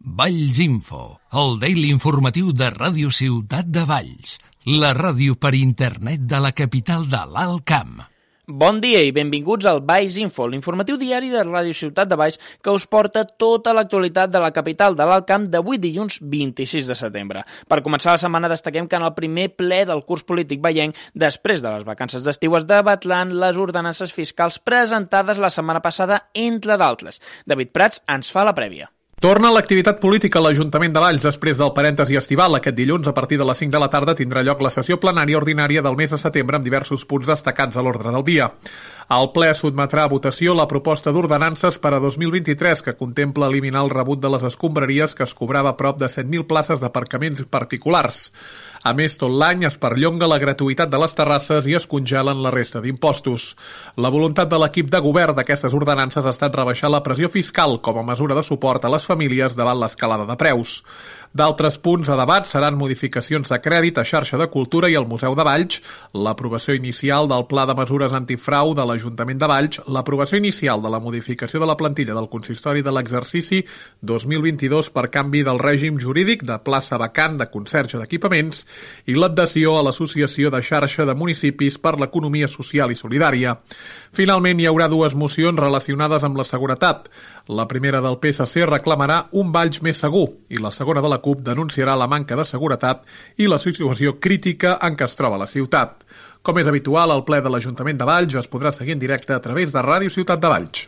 Valls Info, el daily informatiu de Ràdio Ciutat de Valls, la ràdio per internet de la capital de l'Alt Camp. Bon dia i benvinguts al Valls Info, l'informatiu diari de Ràdio Ciutat de Valls que us porta tota l'actualitat de la capital de l'Alt Camp d'avui dilluns 26 de setembre. Per començar la setmana destaquem que en el primer ple del curs polític vallenc, després de les vacances d'estiu, es debatran les ordenances fiscals presentades la setmana passada, entre d'altres. David Prats ens fa la prèvia. Torna l'activitat política a l'Ajuntament de Valls després del parèntesi estival. Aquest dilluns, a partir de les 5 de la tarda, tindrà lloc la sessió plenària ordinària del mes de setembre amb diversos punts destacats a l'ordre del dia. El ple sotmetrà a votació la proposta d'ordenances per a 2023 que contempla eliminar el rebut de les escombraries que es cobrava prop de 7.000 places d'aparcaments particulars. A més, tot l'any es perllonga la gratuïtat de les terrasses i es congelen la resta d'impostos. La voluntat de l'equip de govern d'aquestes ordenances ha estat rebaixar la pressió fiscal com a mesura de suport a les famílies davant l'escalada de preus. D'altres punts a debat seran modificacions de crèdit a xarxa de cultura i al Museu de Valls, l'aprovació inicial del Pla de Mesures Antifrau de l'Ajuntament de Valls, l'aprovació inicial de la modificació de la plantilla del consistori de l'exercici 2022 per canvi del règim jurídic de plaça vacant de conserge d'equipaments i l'adhesió a l'Associació de Xarxa de Municipis per l'Economia Social i Solidària. Finalment, hi haurà dues mocions relacionades amb la seguretat. La primera del PSC reclamarà un Valls més segur i la segona de la CUP denunciarà la manca de seguretat i la situació crítica en què es troba la ciutat. Com és habitual, el ple de l'Ajuntament de Valls es podrà seguir en directe a través de Ràdio Ciutat de Valls.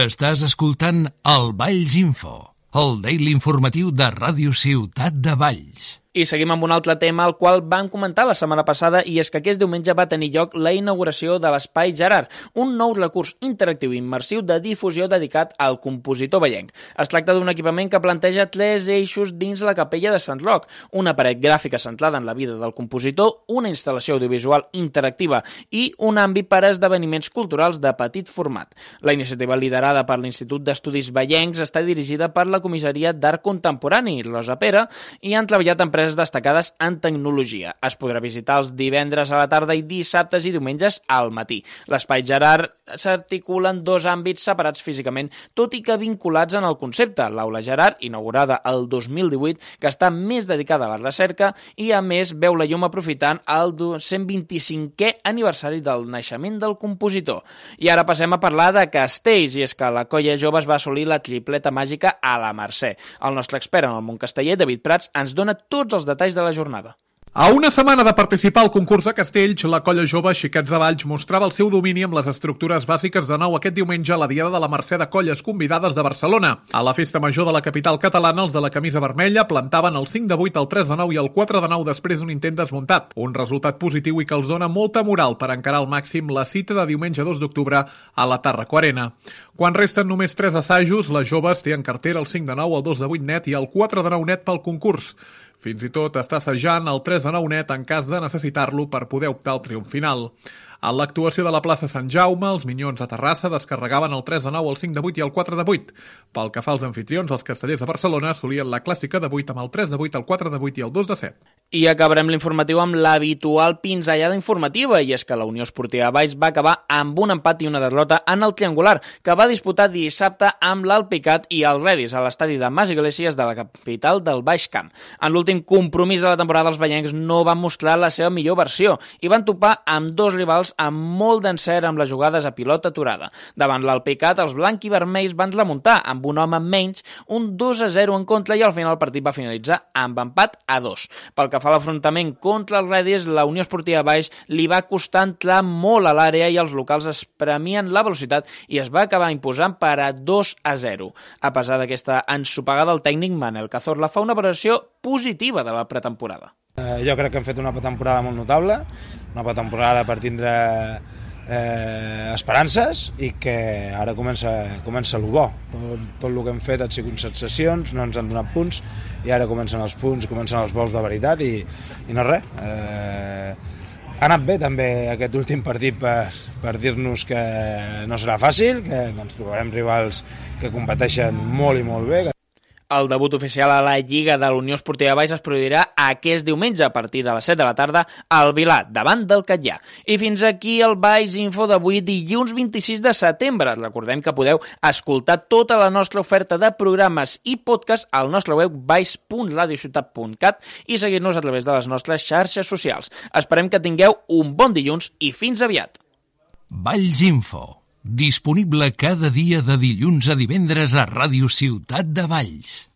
Estàs escoltant el Valls Info, el daily informatiu de Ràdio Ciutat de Valls. I seguim amb un altre tema al qual vam comentar la setmana passada, i és que aquest diumenge va tenir lloc la inauguració de l'Espai Gerard, un nou recurs interactiu i immersiu de difusió dedicat al compositor vallenc. Es tracta d'un equipament que planteja 3 eixos dins la capella de Sant Roc, una paret gràfica centrada en la vida del compositor, una instal·lació audiovisual interactiva i un àmbit per a esdeveniments culturals de petit format. La iniciativa, liderada per l'Institut d'Estudis Vallencs, està dirigida per la Comissaria d'Art Contemporani, Rosa Pera, i han treballat empreses destacades en tecnologia. Es podrà visitar els divendres a la tarda i dissabtes i diumenges al matí. L'Espai Gerard s'articula en 2 àmbits separats físicament, tot i que vinculats en el concepte. L'Aula Gerard, inaugurada el 2018, que està més dedicada a la recerca i, a més, veu la llum aprofitant el 125è aniversari del naixement del compositor. I ara passem a parlar de castells, i és que la Colla Jove es va assolir la tripleta màgica a la Mercè. El nostre expert en el món casteller, David Prats, ens dona tots els detalls de la jornada. A una setmana de participar al concurs de castells, la Colla Jove Xiquets de Valls mostrava el seu domini amb les estructures bàsiques de nou aquest diumenge a la Diada de la Mercè de Colles Convidades de Barcelona. A la festa major de la capital catalana, els de la camisa vermella plantaven el 5 de 8, el 3 de 9 i el 4 de 9 després d'un intent desmuntat. Un resultat positiu i que els dona molta moral per encarar al màxim la cita de diumenge 2 d'octubre a la Tàrraco Arena. Quan resten només 3 assajos, les joves té en cartera el 5 de 9, el 2 de 8 net i el 4 de 9 net pel concurs. Fins i tot està assajant el 3 de 9 net en cas de necessitar-lo per poder optar al triomf final. A l'actuació de la plaça Sant Jaume, els Minyons a Terrassa descarregaven el 3 de 9, el 5 de 8 i el 4 de 8. Pel que fa als anfitrions, els castellers de Barcelona assolien la clàssica de 8 amb el 3 de 8, el 4 de 8 i el 2 de 7. I acabarem l'informatiu amb l'habitual pinzellada informativa, i és que la Unió Esportiva Valls va acabar amb un empat i una derrota en el triangular, que va disputar dissabte amb l'Alpicat i el Redis a l'estadi de Mas Iglesias de la capital del Baix Camp. En l'últim compromís de la temporada, els vallencs no van mostrar la seva millor versió i van topar amb 2 rivals amb molt d'encert amb les jugades a pilota aturada. Davant l'Alpicat, els blanc i vermells van remuntar amb un home menys, un 2-0 en contra, i al final el partit va finalitzar amb empat a 2. Pel que fa a l'afrontament contra els Redis, la Unió Esportiva Valls li va costar entrar molt a l'àrea i els locals es premien la velocitat i es va acabar imposant per a 2-0. A pesar d'aquesta ensopegada, el tècnic Manel Cazorla fa una valoració positiva de la pretemporada. Jo crec que hem fet una pretemporada molt notable, una pretemporada per tindre esperances i que ara comença el bo. Tot el que hem fet han sigut sensacions, no ens han donat punts i ara comencen els punts, comencen els vols de veritat i no res. Ha anat bé també aquest últim partit per dir-nos que no serà fàcil, que ens trobarem rivals que competeixen molt i molt bé. El debut oficial a la Lliga de l'Unió Esportiva Valls es produirà aquest diumenge a partir de les 7 de la tarda al Vilar, davant del Catllà. I fins aquí el Valls Info d'avui, dilluns 26 de setembre. Recordem que podeu escoltar tota la nostra oferta de programes i podcast al nostre web valls.radiociutat.cat i seguir-nos a través de les nostres xarxes socials. Esperem que tingueu un bon dilluns i fins aviat. Valls Info. Disponible cada dia de dilluns a divendres a Ràdio Ciutat de Valls.